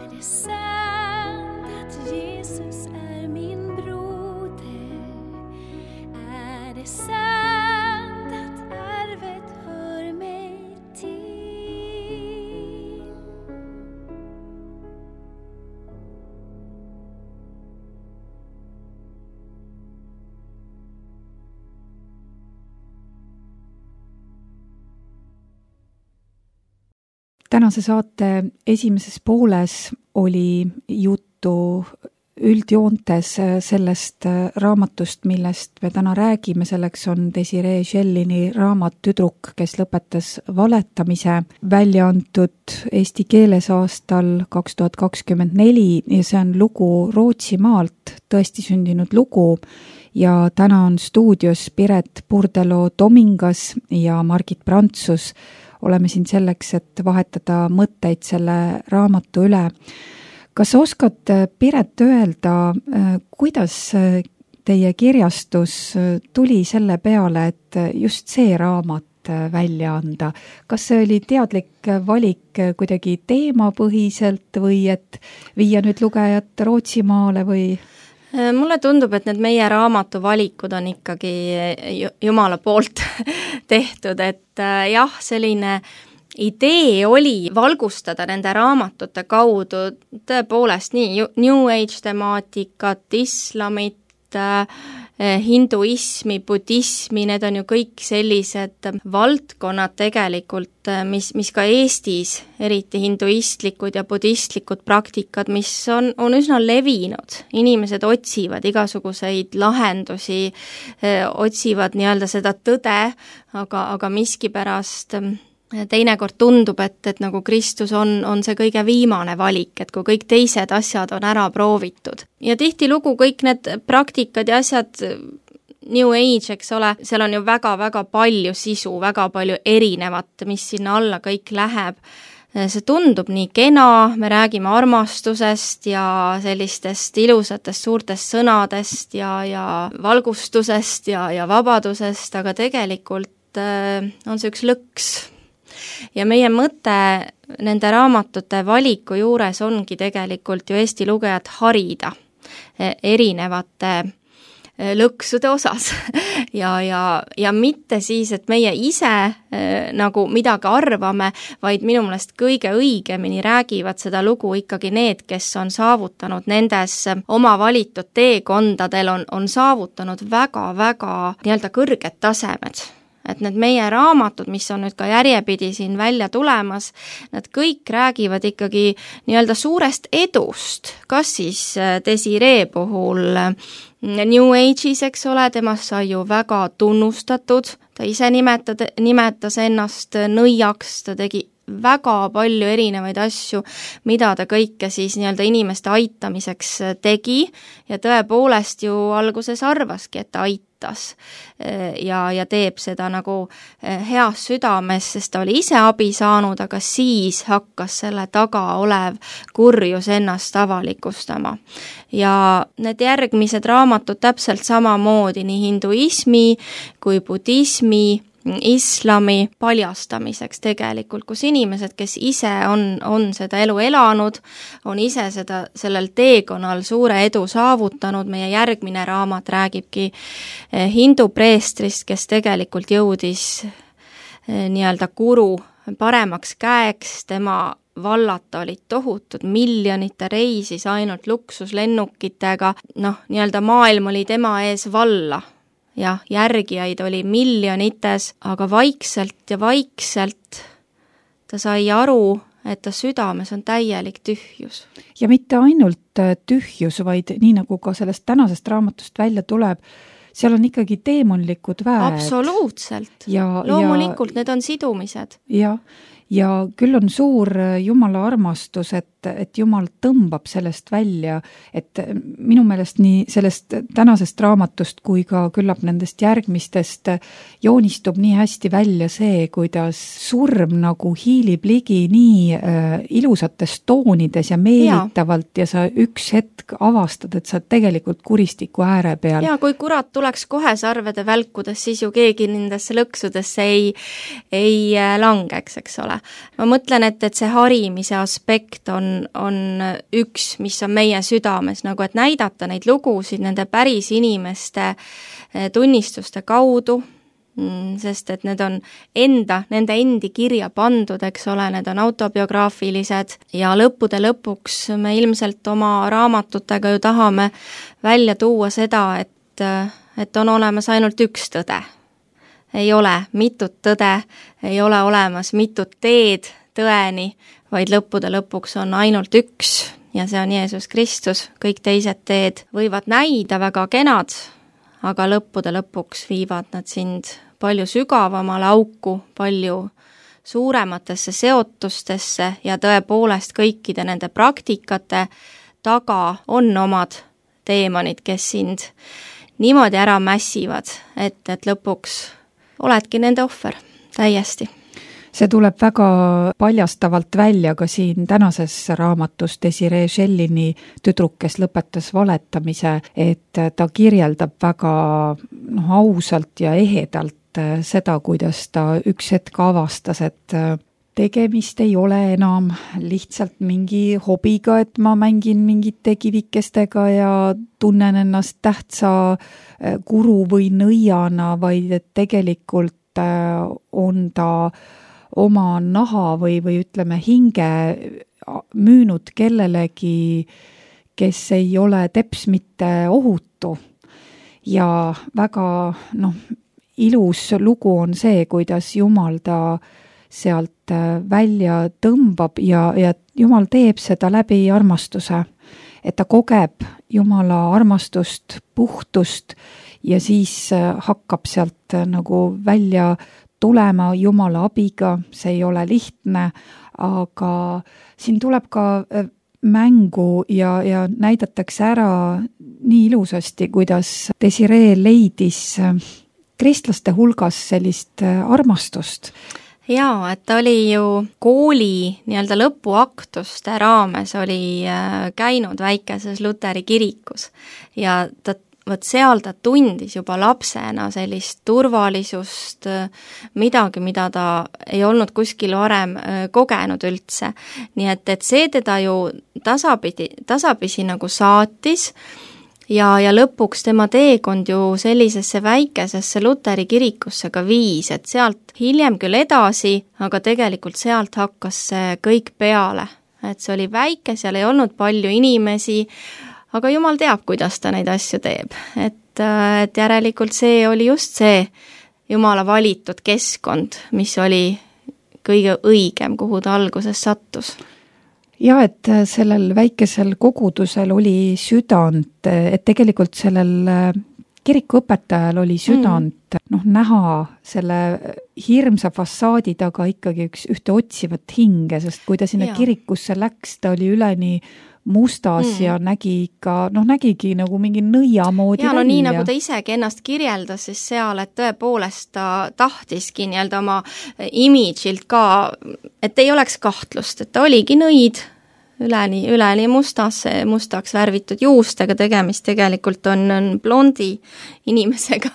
Är det sant att Jesus är min broder? Är det sant att arvet hör mig till? Tänase saate esimeses pooles oli juttu üldjoontes sellest raamatust, millest me täna räägime. Selleks on Desiree Schellini raamat Tüdruk, kes lõpetas valetamise, välja antud eesti keeles aastal kaks tuhat kakskümmend neli ja see on lugu Rootsimaalt, tõesti sündinud lugu. Ja täna on stuudios Piret Purdelo-Tomingas ja Margit Prantsus. Oleme siin selleks, et vahetada mõtteid selle raamatu üle. Kas oskad, Piret, öelda, kuidas teie kirjastus tuli selle peale, et just see raamat välja anda? Kas see oli teadlik valik kuidagi teemapõhiselt või et viia nüüd lugejat Rootsimaale või? Mulle tundub, et need meie raamatu valikud on ikkagi Jumala poolt tehtud, et jah, selline idee oli valgustada nende raamatute kaudu tõepoolest nii New Age temaatikat, islamit, hinduismi, budismi, need on ju kõik sellised valdkonnad tegelikult, mis, mis ka Eestis, eriti hinduistlikud ja budistlikud praktikad, mis on, on üsna levinud. Inimesed otsivad igasuguseid lahendusi, otsivad nii-öelda seda tõde, aga, aga miskipärast teinekord tundub, et, et nagu Kristus on, on see kõige viimane valik, et kui kõik teised asjad on ära proovitud. Ja tihtilugu kõik need praktikad ja asjad, New Age, eks ole, seal on ju väga-väga palju sisu, väga palju erinevat, mis sinna alla kõik läheb. See tundub nii kena, me räägime armastusest ja sellistest ilusatest suurtest sõnadest ja, ja valgustusest ja, ja vabadusest, aga tegelikult on see üks lõks. Ja meie mõte nende raamatute valiku juures ongi tegelikult ju Eesti lugejat harida erinevate lõksude osas ja, ja, ja mitte siis, et meie ise äh, nagu midagi arvame, vaid minu meelest kõige õigemini räägivad seda lugu ikkagi need, kes on saavutanud nendes oma valitud teekondadel, on, on saavutanud väga-väga nii-öelda kõrged tasemed. et need meie raamatud, mis on nüüd ka järjepidi siin välja tulemas, nad kõik räägivad ikkagi nii-öelda suurest edust, kas siis Desiree puhul New Age'is, eks ole, temast sai ju väga tunnustatud, ta ise nimetad, nimetas ennast nõiaks, ta tegi väga palju erinevaid asju, mida ta kõike siis nii-öelda inimeste aitamiseks tegi ja tõepoolest ju alguses arvaski, et ta aitas ja, ja teeb seda nagu heas südames, sest ta oli ise abi saanud, aga siis hakkas selle taga olev kurjus ennast avalikustama. Ja need järgmised raamatud täpselt samamoodi nii hinduismi kui budismi, islami paljastamiseks tegelikult, kus inimesed, kes ise on, on seda elu elanud, on ise seda, sellel teekonnal suure edu saavutanud. Meie järgmine raamat räägibki hindu preestrist, kes tegelikult jõudis nii-öelda guru paremaks käeks, tema vallata olid tohutud miljonite, reisis ainult luksuslennukitega, noh, nii-öelda maailm oli tema ees valla. Jah, järgijaid oli miljonites, aga vaikselt ja vaikselt ta sai aru, et ta südames on täielik tühjus. Ja mitte ainult tühjus, vaid nii nagu ka sellest tänasest raamatust välja tuleb, seal on ikkagi teemonlikud väed. Absoluutselt. Ja, loomulikult, ja, need on sidumised. Ja, ja küll on suur Jumala armastus, et, et Jumal tõmbab sellest välja, et minu meelest nii sellest tänasest raamatust kui ka küllap nendest järgmistest joonistub nii hästi välja see, kuidas surm nagu hiilib ligi nii äh, ilusates toonides ja meelitavalt ja. ja sa üks hetk avastad, et sa tegelikult kuristiku ääre peal. Ja kui kurat tuleks kohe sarvede välkudes, siis ju keegi nendesse lõksudesse ei, ei langeks, eks ole. Ma mõtlen, et, et see harimise aspekt on, on üks, mis on meie südames, nagu et näidata neid lugusid nende päris inimeste tunnistuste kaudu, sest et need on enda, nende endi kirja pandud, eks ole, need on autobiograafilised ja lõppude lõpuks me ilmselt oma raamatutega ju tahame välja tuua seda, et, et on olemas ainult üks tõde. Ei ole mitut tõde, ei ole olemas mitut teed tõeni, vaid lõppude lõpuks on ainult üks ja see on Jeesus Kristus. Kõik teised teed võivad näida väga kenad, aga lõppude lõpuks viivad nad sind palju sügavamale auku, palju suurematesse seotustesse ja tõepoolest kõikide nende praktikate taga on omad teemonid, kes sind niimoodi ära mässivad, et, et lõpuks oledki nende ohver, täiesti. See tuleb väga paljastavalt välja ka siin tänases raamatus Desiree Schellini tüdruk, kes lõpetas valetamise, et ta kirjeldab väga noh, ausalt ja ehedalt seda, kuidas ta üks hetk avastas, et tegemist ei ole enam lihtsalt mingi hobiga, et ma mängin mingite kivikestega ja tunnen ennast tähtsa guru või nõiana, vaid et tegelikult on ta oma naha või, või ütleme hinge müünud kellelegi, kes ei ole teps mitte ohutu. Ja väga noh, ilus lugu on see, kuidas Jumal ta sealt välja tõmbab ja, ja Jumal teeb seda läbi armastuse, et ta kogeb Jumala armastust, puhtust ja siis hakkab sealt nagu välja tulema Jumala abiga, see ei ole lihtne, aga siin tuleb ka mängu ja, ja näidatakse ära nii ilusasti, kuidas Desiree leidis kristlaste hulgas sellist armastust. Jaa, et ta oli ju kooli nii-öelda lõpuaktuste raames oli käinud väikeses Luteri kirikus ja ta, võt seal ta tundis juba lapsena sellist turvalisust, midagi, mida ta ei olnud kuskil varem kogenud üldse. Nii et, et see teda ju tasapidi, tasapisi nagu saatis ja, ja lõpuks tema teekond ju sellisesse väikesesse Luteri kirikusse ka viis, et sealt hiljem küll edasi, aga tegelikult sealt hakkas see kõik peale. Et see oli väike, seal ei olnud palju inimesi, aga Jumal teab, kuidas ta neid asju teeb. Et, et järelikult see oli just see Jumala valitud keskkond, mis oli kõige õigem, kuhu ta alguses sattus. Ja, et sellel väikesel kogudusel oli südant, et tegelikult sellel kirikuõpetajal oli südant, mm. noh, näha selle hirmsa fassaadi taga ikkagi üks ühte otsivat hinge, sest kui ta sinna ja. kirikusse läks, ta oli üleni mustas mm. ja nägi ikka, noh, nägigi nagu mingi nõia moodi ja, no välja. Nii nagu ta isegi ennast kirjeldas siis seal, et tõepoolest ta tahtiski nii-öelda oma imidžilt ka, et ei oleks kahtlust, et ta oligi nõid, üleni, üleni mustas, mustaks värvitud juustega tegemist tegelikult on, on blondi inimesega,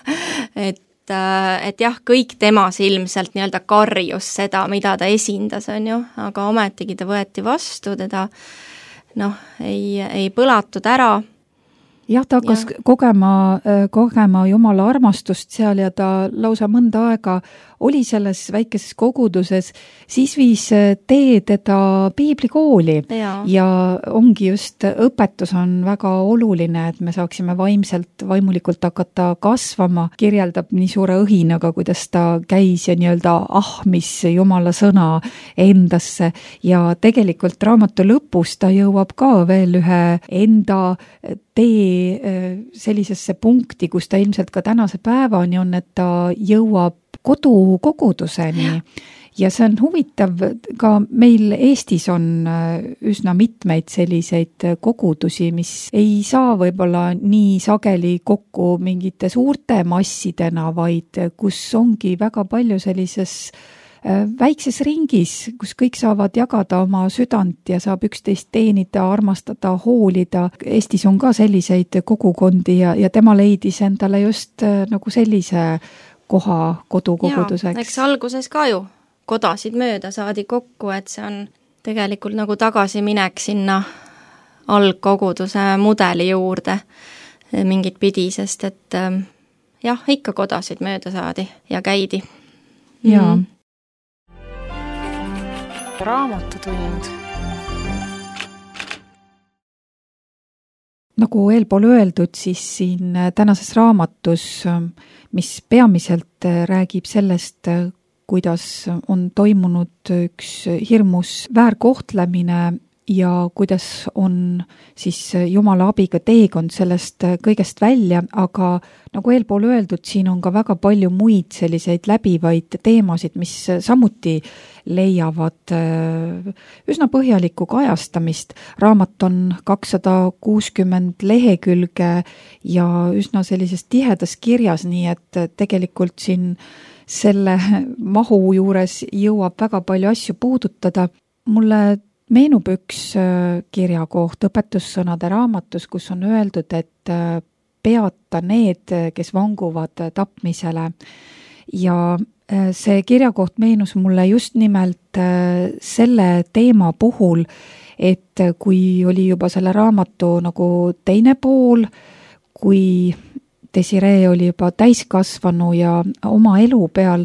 et, et jah, kõik temas ilmselt nii-öelda karjus seda, mida ta esindas, on ju, aga ometigi ta võeti vastu, teda noh, ei, ei põlatud ära. Jah, ta hakkas ja. kogema, kogema Jumala armastust seal ja ta lausa mõnda aega oli selles väikeses koguduses, siis viis tee teda piiblikooli ja. ja ongi just, õpetus on väga oluline, et me saaksime vaimselt, vaimulikult hakata kasvama, kirjeldab nii suure õhinaga, kuidas ta käis ja nii-öelda ahmis Jumala sõna endasse ja tegelikult raamatu lõpus ta jõuab ka veel ühe enda tee sellisesse punkti, kus ta ilmselt ka tänase päevani on, et ta jõuab kodukoguduseni ja see on huvitav, ka meil Eestis on üsna mitmeid selliseid kogudusi, mis ei saa võib-olla nii sageli kokku mingite suurte massidena, vaid kus ongi väga palju sellises väikses ringis, kus kõik saavad jagada oma südant ja saab üksteist teenida, armastada, hoolida. Eestis on ka selliseid kogukondi ja, ja tema leidis endale just nagu sellise koha kodukoguduseks. Eks alguses ka ju kodasid mööda saadi kokku, et see on tegelikult nagu tagasiminek sinna algkoguduse mudeli juurde mingit pidi, sest et jah, ikka kodasid mööda saadi ja käidi. Jaa. Mm. Raamatutund. Nagu eelpool öeldud, siis siin tänases raamatus, mis peamiselt räägib sellest, kuidas on toimunud üks hirmus väärkohtlemine ja kuidas on siis Jumala abiga teekond sellest kõigest välja, aga nagu eelpool öeldud, siin on ka väga palju muid selliseid läbivaid teemasid, mis samuti leiavad üsna põhjalikku kajastamist. Raamat on kakssada kuuskümmend lehekülge ja üsna sellises tihedas kirjas, nii et tegelikult siin selle mahu juures jõuab väga palju asju puudutada. Mulle meenub üks kirjakoht õpetussõnade raamatus, kus on öeldud, et peata need, kes vanguvad tapmisele. Ja see kirjakoht meenus mulle just nimelt selle teema puhul, et kui oli juba selle raamatu nagu teine pool, kui Desiree oli juba täiskasvanu ja oma elu peal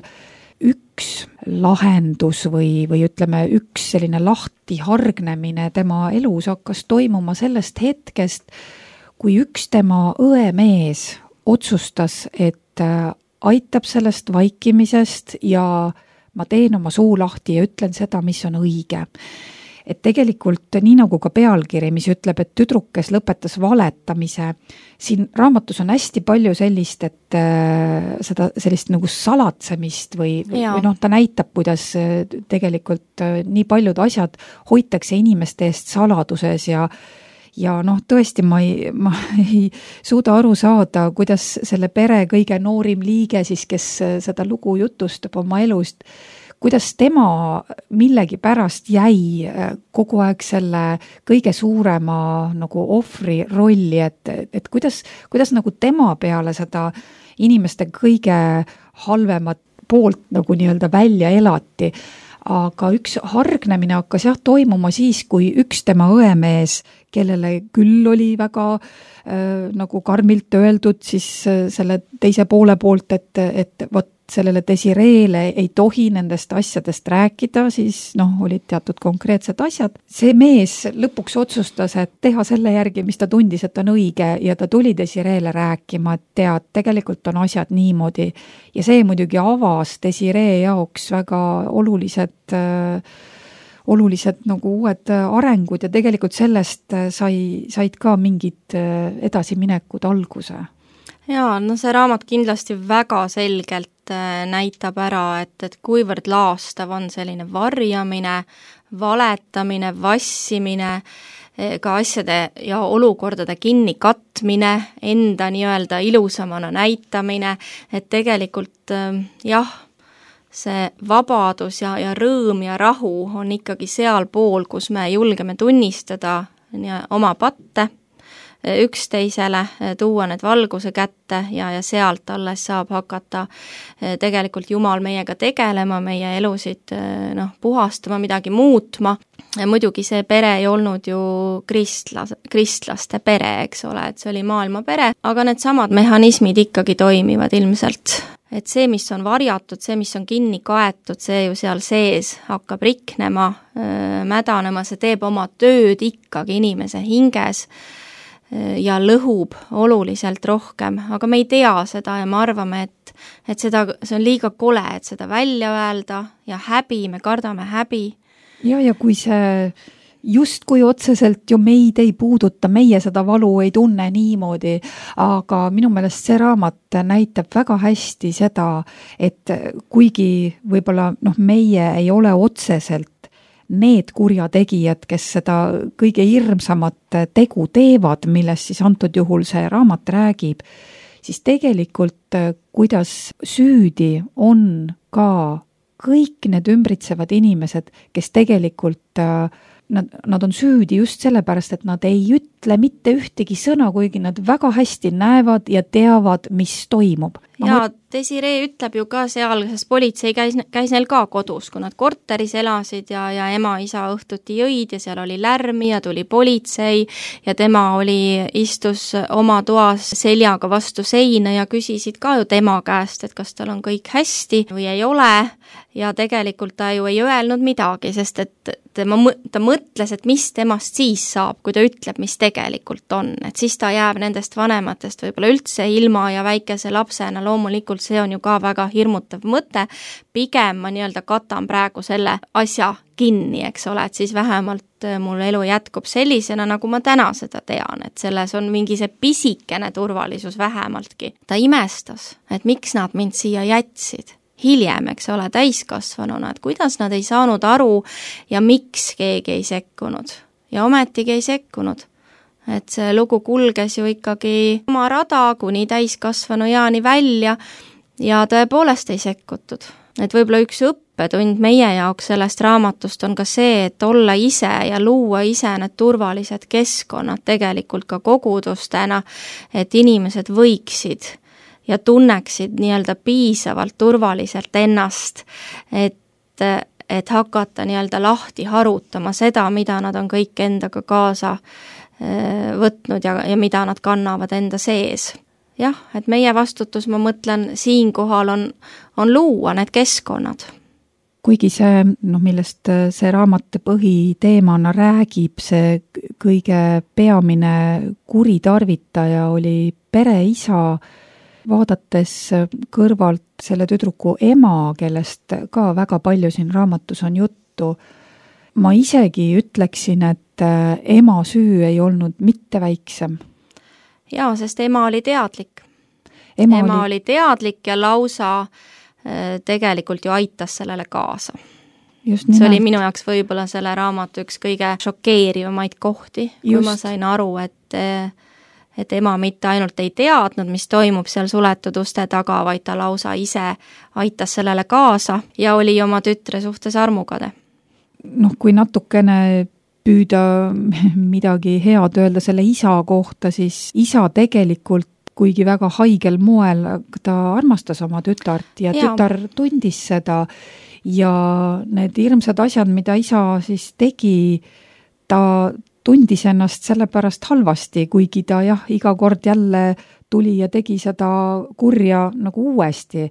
üks lahendus või, või ütleme, üks selline lahti hargnemine tema elus hakkas toimuma sellest hetkest, kui üks tema õemees otsustas, et aitab sellest vaikimisest ja ma teen oma suu lahti ja ütlen seda, mis on õige. Et tegelikult nii nagu ka pealkiri, mis ütleb, et tüdruk, kes lõpetas valetamise, siin raamatus on hästi palju sellist, et äh, seda sellist nagu salatsemist või, või noh, ta näitab, kuidas tegelikult äh, nii paljud asjad hoitakse inimeste eest saladuses ja ja noh, tõesti ma ei, ma ei suuda aru saada, kuidas selle pere kõige noorim liige siis, kes seda lugu jutustab oma elust, kuidas tema millegi pärast jäi kogu aeg selle kõige suurema nagu ohvri rolli, et, et kuidas, kuidas nagu tema peale seda inimeste kõige halvemat poolt nagu nii-öelda välja elati. Aga üks hargnemine hakkas jah toimuma siis, kui üks tema õemees, kellele küll oli väga äh, nagu karmilt öeldud siis äh, selle teise poole poolt, et, et vot sellele Desireele ei tohi nendest asjadest rääkida, siis noh, olid teatud konkreetsed asjad. See mees lõpuks otsustas, et teha selle järgi, mis ta tundis, et on õige ja ta tuli Desireele rääkima, et tead, tegelikult on asjad niimoodi. Ja see muidugi avas Desiree jaoks väga olulised, äh, olulised nagu uued arengud ja tegelikult sellest sai, said ka mingid edasiminekud alguse. Jaa, no see raamat kindlasti väga selgelt näitab ära, et, et kuivõrd laastav on selline varjamine, valetamine, vassimine, ka asjade ja olukordade kinni katmine, enda nii-öelda ilusamana näitamine, et tegelikult jah, see vabadus ja, ja rõõm ja rahu on ikkagi seal pool, kus me julgeme tunnistada oma patte, üksteisele, tuua need valguse kätte ja, ja sealt alles saab hakata tegelikult Jumal meiega tegelema, meie elusid noh, puhastama, midagi muutma. Muidugi see pere ei olnud ju kristlas, kristlaste pere, eks ole, et see oli maailma pere, aga need samad mehhanismid ikkagi toimivad ilmselt. Et see, mis on varjatud, see, mis on kinni kaetud, see ju seal sees hakkab riknema, mädanema, see teeb oma tööd ikkagi inimese hinges ja lõhub oluliselt rohkem, aga me ei tea seda ja me arvame, et, et seda, see on liiga kole, et seda välja öelda ja häbi, me kardame häbi. Ja, ja kui see just kui otseselt ju meid ei puuduta, meie seda valu ei tunne niimoodi, aga minu meelest see raamat näitab väga hästi seda, et kuigi võib-olla noh, meie ei ole otseselt need kurjategijad, kes seda kõige hirmsamat tegu teevad, millest siis antud juhul see raamat räägib, siis tegelikult kuidas süüdi on ka kõik need ümbritsevad inimesed, kes tegelikult nad, nad on süüdi just sellepärast, et nad ei ütle mitte ühtegi sõna, kuigi nad väga hästi näevad ja teavad, mis toimub. Ja Desiree ütleb ju ka seal, sest politsei käis, käis neil ka kodus, kui nad korteris elasid ja, ja ema, isa õhtuti jõid ja seal oli lärmi ja tuli politsei ja tema oli, istus oma toas seljaga vastu seina ja küsisid ka ju tema käest, et kas tal on kõik hästi või ei ole ja tegelikult ta ju ei öelnud midagi, sest et tema, ta mõtles, et mis temast siis saab, kui ta ütleb, mis tegelikult on, et siis ta jääb nendest vanematest võib-olla üldse ilma ja väikese lapsena loomulikult see on ju ka väga hirmutav mõte, pigem ma nii-öelda katan praegu selle asja kinni, eks ole, et siis vähemalt mul elu jätkub sellisena, nagu ma täna seda tean, et selles on mingi see pisikene turvalisus vähemaltki. Ta imestas, et miks nad mind siia jätsid. Hiljem, eks ole, täiskasvanuna, et kuidas nad ei saanud aru ja miks keegi ei sekkunud. Ja ometigi ei sekkunud. Et see lugu kulges ju ikkagi oma rada kuni täiskasvanu jaani välja ja tõepoolest ei sekkutud. Et võib-olla üks õppetund meie jaoks sellest raamatust on ka see, et olla ise ja luua ise need turvalised keskkonnad tegelikult ka kogudustena, et inimesed võiksid ja tunneksid nii-öelda piisavalt turvaliselt ennast, et, et hakata nii-öelda lahti harutama seda, mida nad on kõik endaga kaasa võtnud ja, ja mida nad kannavad enda sees. Jah, et meie vastutus, ma mõtlen, siinkohal on, on luua need keskkonnad. Kuigi see, noh, millest see raamat põhiteemana räägib, see kõige peamine kuritarvitaja oli pereisa, vaadates kõrvalt selle tüdruku ema, kellest ka väga palju siin raamatus on juttu, ma isegi ütleksin, et ema süü ei olnud mitte väiksem. Jaa, sest ema oli teadlik. Ema, ema oli... oli teadlik ja lausa tegelikult ju aitas sellele kaasa. See oli minu jaoks võib-olla selle raamatu üks kõige šokeerivamaid kohti, kui Just. ma sain aru, et, et ema mitte ainult ei teadnud, mis toimub seal suletud uste taga, vaid ta lausa ise aitas sellele kaasa ja oli oma tütre suhtes armukade. Noh, kui natukene püüda midagi head öelda selle isa kohta, siis isa tegelikult, kuigi väga haigel moel, ta armastas oma tütart ja, ja tütar tundis seda ja need hirmsad asjad, mida isa siis tegi, ta tundis ennast sellepärast halvasti, kuigi ta jah, iga kord jälle tuli ja tegi seda kurja nagu uuesti.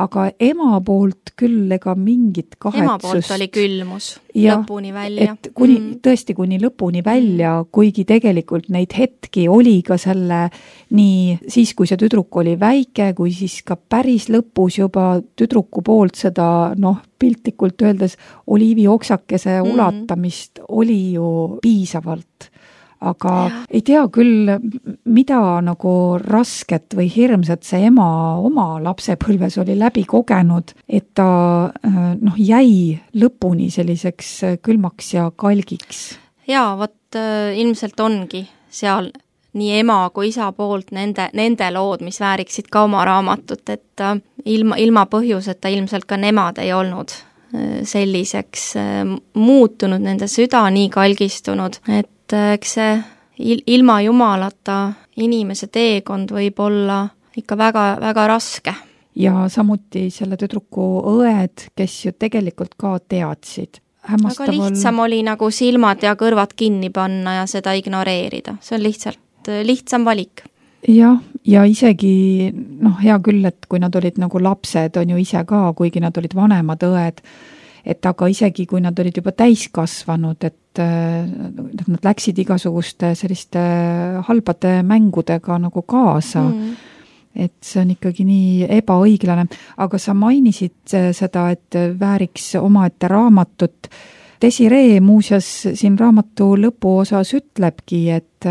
Aga ema poolt küll ega mingit kahetsust. Ema poolt oli külmus ja, lõpuni välja. Et kuni, mm. tõesti kuni lõpuni välja, kuigi tegelikult neid hetki oli ka selle nii siis, kui see tüdruk oli väike, kui siis ka päris lõpus juba tüdruku poolt seda, noh, piltlikult öeldes oliivioksakese mm. ulatamist oli ju piisavalt. Aga ja. Ei tea küll, mida nagu rasket või hirmsat see ema oma lapsepõlves oli läbi kogenud, et ta noh, jäi lõpuni selliseks külmaks ja kalgiks. Jaa, vot ilmselt ongi seal nii ema kui isa poolt nende, nende lood, mis vääriksid ka oma raamatut, et ilma, ilma põhjuseta ilmselt ka nemad ei olnud selliseks muutunud, nende süda nii kalgistunud, et eks see ilma jumalata inimese teekond võib olla ikka väga, väga raske. Ja samuti selle tüdruku õed, kes ju tegelikult ka teadsid. Aga lihtsam oli nagu silmad ja kõrvad kinni panna ja seda ignoreerida. See on lihtsalt lihtsam valik. Jah, ja isegi, noh, hea küll, et kui nad olid nagu lapsed, on ju ise ka, kuigi nad olid vanemad õed, et aga isegi kui nad olid juba täiskasvanud, et nad läksid igasuguste selliste halbade mängudega nagu kaasa, mm. et see on ikkagi nii ebaõiglane. Aga sa mainisid seda, et vääriks omaette raamatut. Desiree muuseas siin raamatu lõpuosas ütlebki, et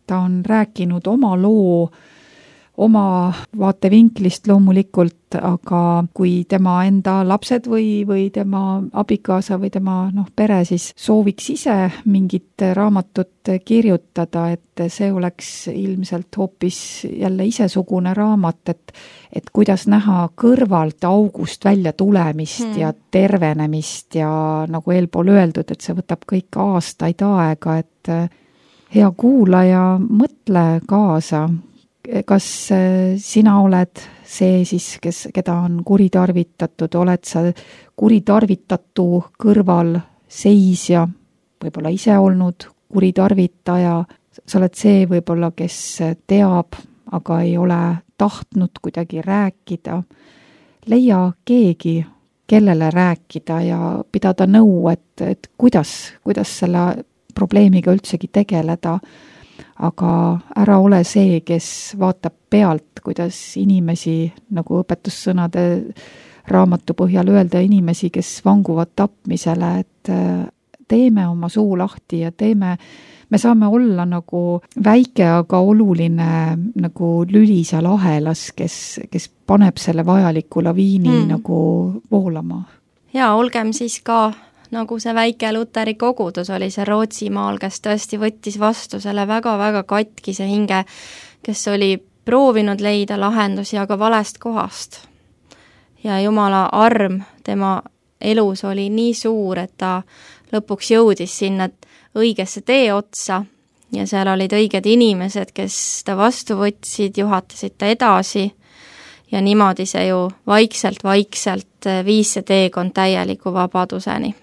ta on rääkinud oma loo oma vaatevinklist loomulikult, aga kui tema enda lapsed või, või tema abikaasa või tema noh, pere siis sooviks ise mingit raamatut kirjutada, et see oleks ilmselt hoopis jälle isesugune raamat, et, et kuidas näha kõrvalt august välja tulemist hmm. ja tervenemist ja nagu eelpool öeldud, et see võtab kõik aastaid aega, et hea kuulaja, mõtle kaasa. Kas sina oled see siis, kes, keda on kuritarvitatud, oled sa kuritarvitatu kõrval seisja, võib-olla ise olnud kuritarvitaja, sa oled see võib-olla, kes teab, aga ei ole tahtnud kuidagi rääkida. Leia keegi, kellele rääkida ja pidada nõu, et, et kuidas, kuidas selle probleemiga üldsegi tegeleda. Aga ära ole see, kes vaatab pealt, kuidas inimesi, nagu õpetussõnade raamatu põhjal öelda, inimesi, kes vanguvad tapmisele, et teeme oma suu lahti ja teeme, me saame olla nagu väike, aga oluline nagu lüli seal ahelas, kes, kes paneb selle vajaliku laviini hmm. nagu voolama. Ja olgem siis ka nagu see väike Luteri kogudus oli see Rootsimaal, kes tõesti võttis vastu selle väga-väga katkise hinge, kes oli proovinud leida lahendusi, aga valest kohast. Ja Jumala arm tema elus oli nii suur, et ta lõpuks jõudis sinna õigesse tee otsa ja seal olid õiged inimesed, kes ta vastu võtsid, juhatasid ta edasi ja niimoodi see ju vaikselt-vaikselt viis see teekond täieliku vabaduseni.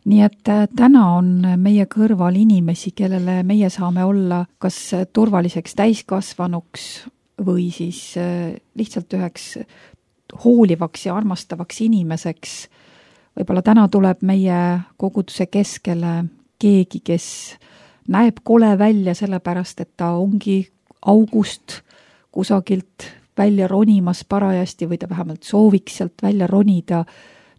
Nii et täna on meie kõrval inimesi, kellele meie saame olla kas turvaliseks täiskasvanuks või siis lihtsalt üheks hoolivaks ja armastavaks inimeseks. Võib-olla täna tuleb meie koguduse keskele keegi, kes näeb kole välja sellepärast, et ta ongi august kusagilt välja ronimas parajasti või ta vähemalt sooviks sealt välja ronida.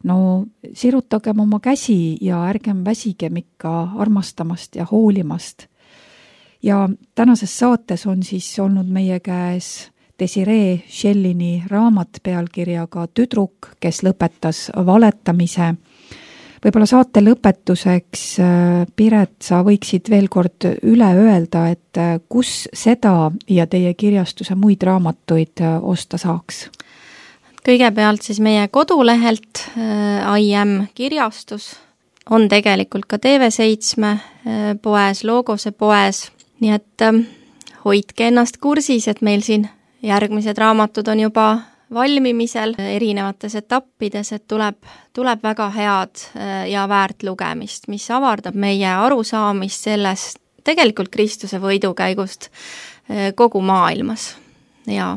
No sirutagem oma käsi ja ärgem väsigem ikka armastamast ja hoolimast. Ja tänases saates on siis olnud meie käes Desiree Schellini raamat pealkirjaga Tüdruk, kes lõpetas valetamise. Võib-olla saate lõpetuseks, Piret, sa võiksid veel kord üle öelda, et kus seda ja teie kirjastuse muid raamatuid osta saaks? Kõigepealt siis meie kodulehelt I M kirjastus on tegelikult ka T V seitsme poes, Logose poes, nii et hoidke ennast kursis, et meil siin järgmised raamatud on juba valmimisel erinevates etappides, et tuleb, tuleb väga head ja väärt lugemist, mis avardab meie arusaamist sellest tegelikult Kristuse võidukäigust kogu maailmas. Ja,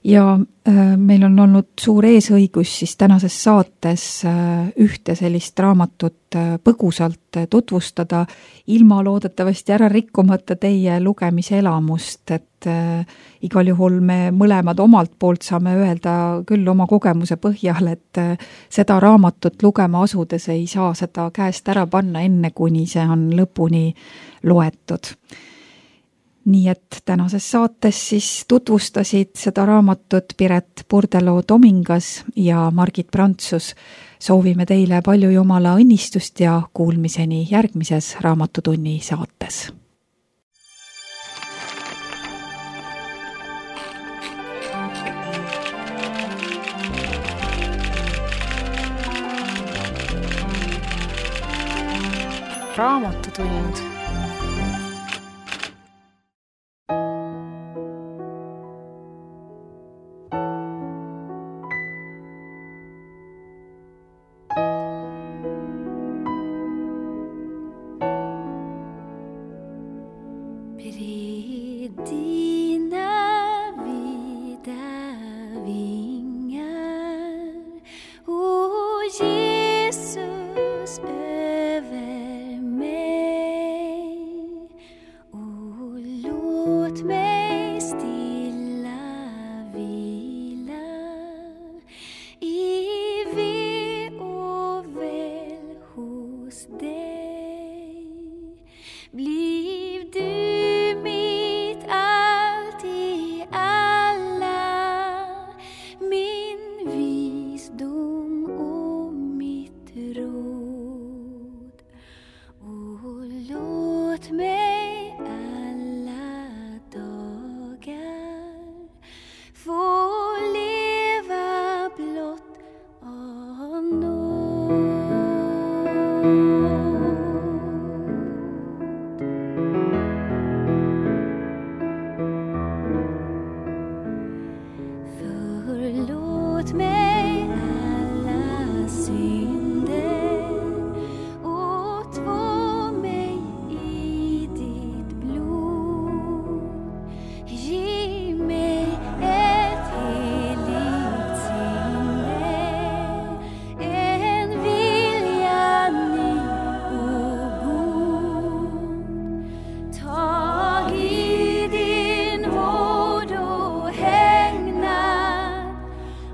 ja äh, meil on olnud suur eesõigus siis tänases saates äh, ühte sellist raamatut äh, põgusalt äh, tutvustada, ilma loodetavasti ära rikkumata teie lugemise elamust, et äh, igal juhul me mõlemad omalt poolt saame öelda küll oma kogemuse põhjal, et äh, seda raamatut lugema asudes ei saa seda käest ära panna enne, kuni see on lõpuni loetud. Nii et tänases saates siis tutvustasid seda raamatut Piret Purdelo-Tomingas ja Margit Prantsus. Soovime teile palju Jumala õnnistust ja kuulmiseni järgmises Raamatutunni saates. Raamatutund.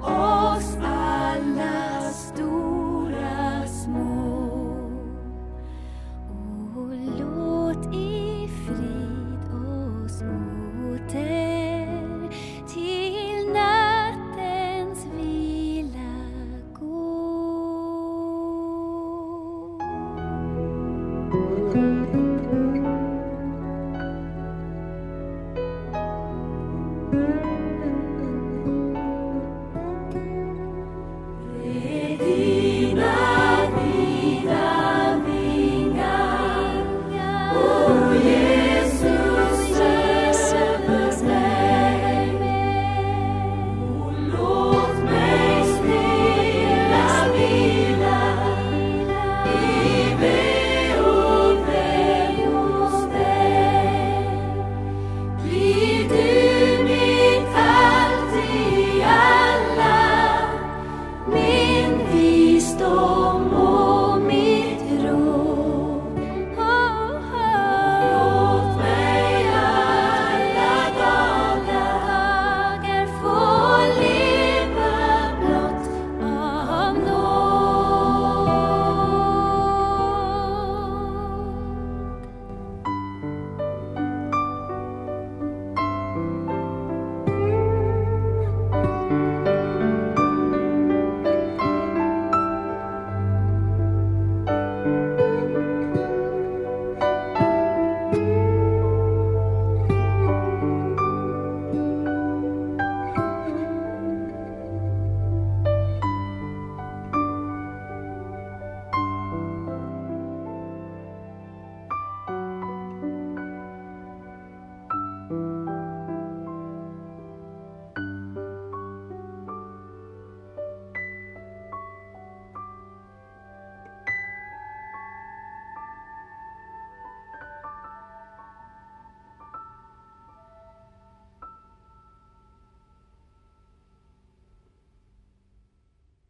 Oh,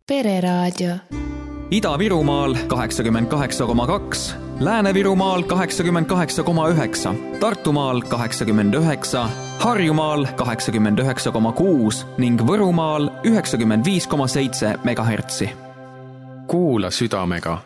Pereraadio. Ida-Virumaal kaheksakümmend kaheksa koma kaks, Lääne-Virumaal kaheksakümmend kaheksa koma üheksa, Tartumaal kaheksakümmend üheksa, Harjumaal kaheksakümmend üheksa koma kuus ning Võrumaal üheksakümmend viis koma seitse megahertsi. Kuula südamega.